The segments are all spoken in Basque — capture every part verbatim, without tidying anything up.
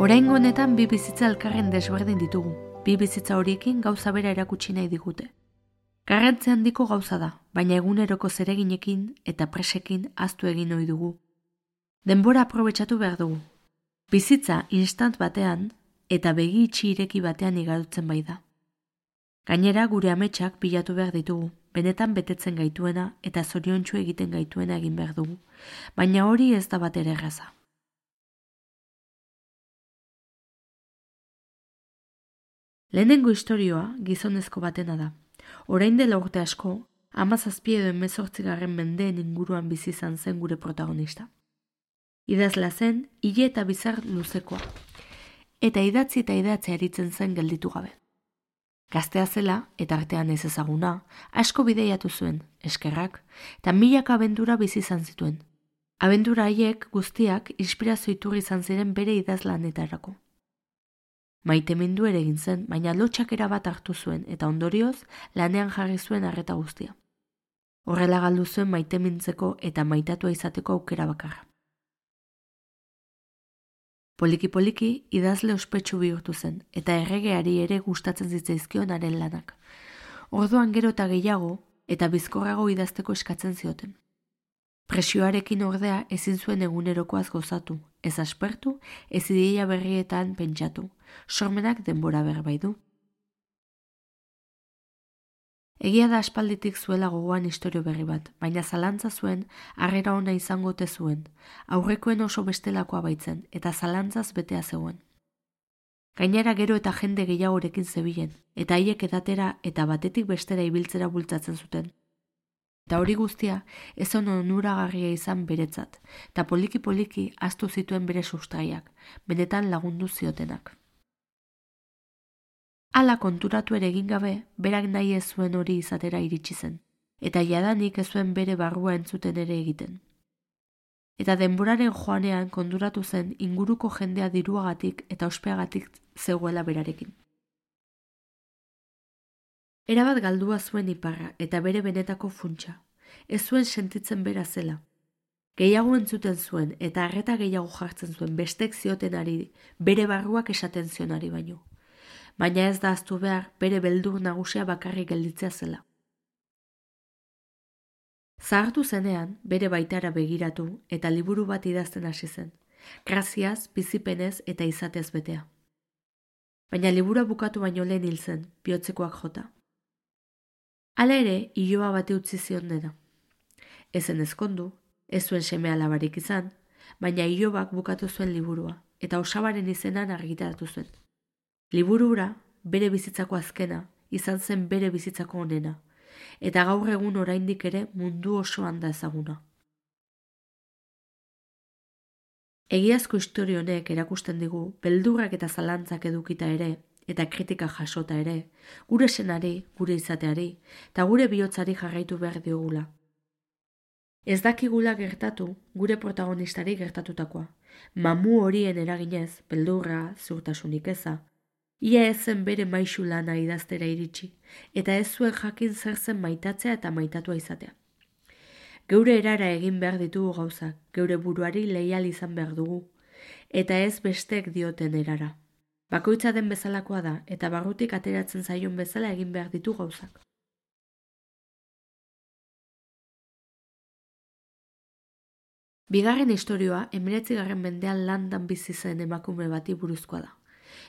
Oraingo honetan bi bizitza elkarren desberdin ditugu. Bi bizitza horiekin gauza bera erakutsi nahi digute. Garrantzi handiko gauza da, baina eguneroko zereginekin eta presekin ahaztu egin ohi dugu. Denbora aprobetxatu behar dugu. Bizitza instant batean eta begi itxi ireki batean igarotzen bai da. Gainera gure ametsak bilatu behar ditugu, benetan betetzen gaituena eta zoriontsu egiten gaituena egin behar dugu, baina hori ez da bat ere erraza. Lehenengo istorioa gizonezko batena da. Orain dela urte asko, hamazazpi edo hemezortzigarren mendeen inguruan bizi izan zen gure protagonista. Idazla zen, hile eta bizar luzekoa, eta idatzi eta idatzea aritzen zen gelditu gabe. Gaztea zela, eta artean ez ezaguna, asko bideiatu zuen, eskerrak, eta milaka abendura bizi izan zituen. Abendura haiek guztiak inspirazio iturri izan ziren bere idazlanetarako. Maitemindu ere egin zen, baina lotxakera bat hartu zuen eta ondorioz lanean jarri zuen arreta guztia. Horrela galdu zuen maitemintzeko eta maitatua izateko aukera bakarra. Poliki-poliki idazle ospetsu bihurtu zen eta erregeari ere gustatzen zitzaizkion haren lanak. Orduan gero eta gehiago eta bizkorrago idazteko eskatzen zioten. Presioarekin ordea ezin zuen egunerokoaz gozatu, ez aspertu, ez ideia berrietan pentsatu, sormenak denbora berbai du. Egia da aspalditik zuela gogoan istorio berri bat, baina zalantza zuen harrera ona izango ote zuen, aurrekoen oso bestelakoa baitzen eta zalantzaz betea zegoen. Gainera gero eta jende gehiagorekin zebilen, eta haiek edatera eta batetik bestera ibiltzera bultzatzen zuten. Eta hori guztia ez on onuragarria izan beretzat, eta poliki-poliki ahaztu zituen bere sustraiak, benetan lagundu ziotenak. Hala konturatu ere egin gabe, berak nahi ez zuen hori izatera iritsi zen, eta jadanik ez zuen bere barrua entzuten ere egiten. Eta denboraren joanean konturatu zen inguruko jendea diruagatik eta ospeagatik zegoela berarekin. Erabat galdua zuen iparra eta bere benetako funtsa. Ez zuen sentitzen bera zela. Gehiago entzuten zuen eta arreta gehiago jartzen zuen bestek ziotenari, bere barruak esaten zionari baino. Baina ez da ahaztu behar bere beldur nagusia bakarrik gelditzea zela. Zahartu zenean, bere baitara begiratu eta liburu bat idazten hasi zen. Graziaz, bizipenez eta izatez betea. Baina liburua bukatu baino lehen hil zen, bihotzekoak jota. Hala ere, iloba bate utzi zion dena. Ezen ezkondu, ez zuen seme alabarik izan, baina ilobak bukatu zuen liburua, eta osabaren izenan argitaratu zuen. Liburura, bere bizitzako azkena, izan zen bere bizitzako onena, eta gaur egun oraindik ere mundu osoan da ezaguna. Egiazko istorio honek erakusten digu, beldurrak eta zalantzak edukita ere, eta kritika jasota ere, gure senari, gure izateari, eta gure bihotzari jarraitu behar diogula. Ez dakigula gertatu gure protagonistari gertatutakoa, mamu horien eraginez, beldurra, ziurtasunik eza, ia ez zen bere maisu lana idaztera iritsi, eta ez zuen jakin zer zen maitatzea eta maitatua izatea. Geure erara egin behar ditugu gauzak, geure buruari leial izan behar dugu, eta ez bestek dioten erara. Bakoitza den bezalakoa da, eta barrutik ateratzen zaion bezala egin behar ditu gauzak. Bigarren istorioa, hemeretzigarren mendean landan bizi zen emakume bati buruzkoa da.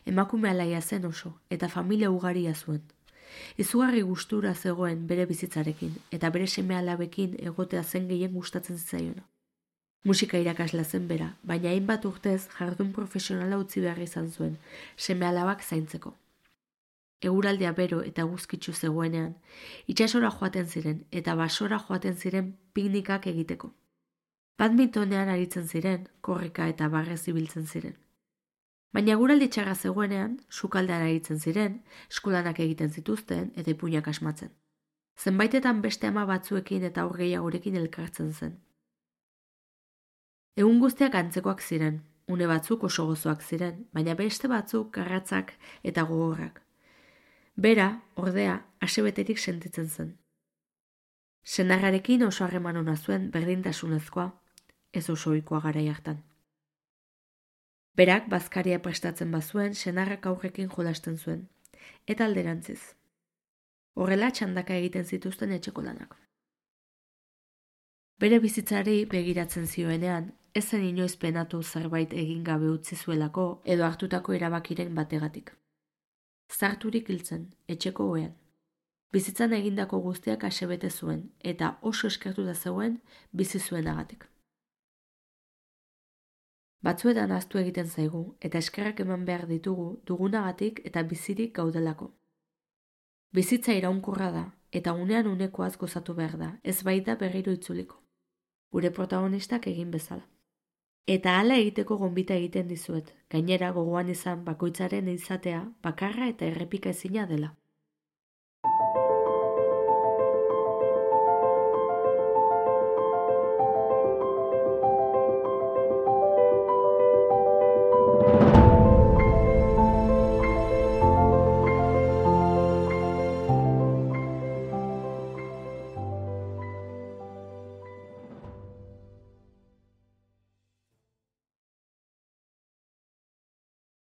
Emakume alaia zen oso, eta familia ugaria zuen. Izugarri gustura zegoen bere bizitzarekin, eta bere seme alabekin egotea zen gehien gustatzen zitzaiona. Musika irakasla zen bera, baina hainbat urtez jardun profesionala utzi behar izan zuen, seme alabak zaintzeko. Eguraldia bero eta guzkitsu zegoenean, itsasora joaten ziren eta basora joaten ziren piknikak egiteko. Badmintonean aritzen ziren, korrika eta barrez ibiltzen ziren. Baina eguraldi txarra zegoenean, sukaldean aritzen ziren, eskulanak egiten zituzten eta ipuinak asmatzen. Zenbaitetan beste ama batzuekin eta aur gehiagorekin elkartzen zen. Egun guztiak antzekoak ziren, une batzuk oso gozoak ziren, baina beste batzuk garratzak eta gogorrak. Bera, ordea, asebeterik sentitzen zen. Senarrarekin oso harreman ona zuen berdintasunezkoa, ez oso ohikoa garai hartan. Berak bazkaria prestatzen bazuen, senarrak aurrekin jolasten zuen, eta alderantziz. Horrela txandaka egiten zituzten etxeko lanak. Bere bizitzari begiratzen zioenean, ez zen inoiz penatu zerbait egin gabe utzi zuelako edo hartutako erabakiren bategatik. Zarturik hiltzen, etxeko ohean. Bizitzan egindako guztiak asebete zuen, eta oso eskertuta zegoen bizi zuenagatik. Batzuetan ahaztu egiten zaigu, eta eskerrak eman behar ditugu dugunagatik eta bizirik gaudelako. Bizitza iraunkorra da, eta unean unekoaz gozatu behar da, ez baita berriro itzuliko. Gure protagonistak egin bezala. Eta hala egiteko gonbita egiten dizuet, gainera gogoan izan bakoitzaren izatea bakarra eta errepika ezina dela.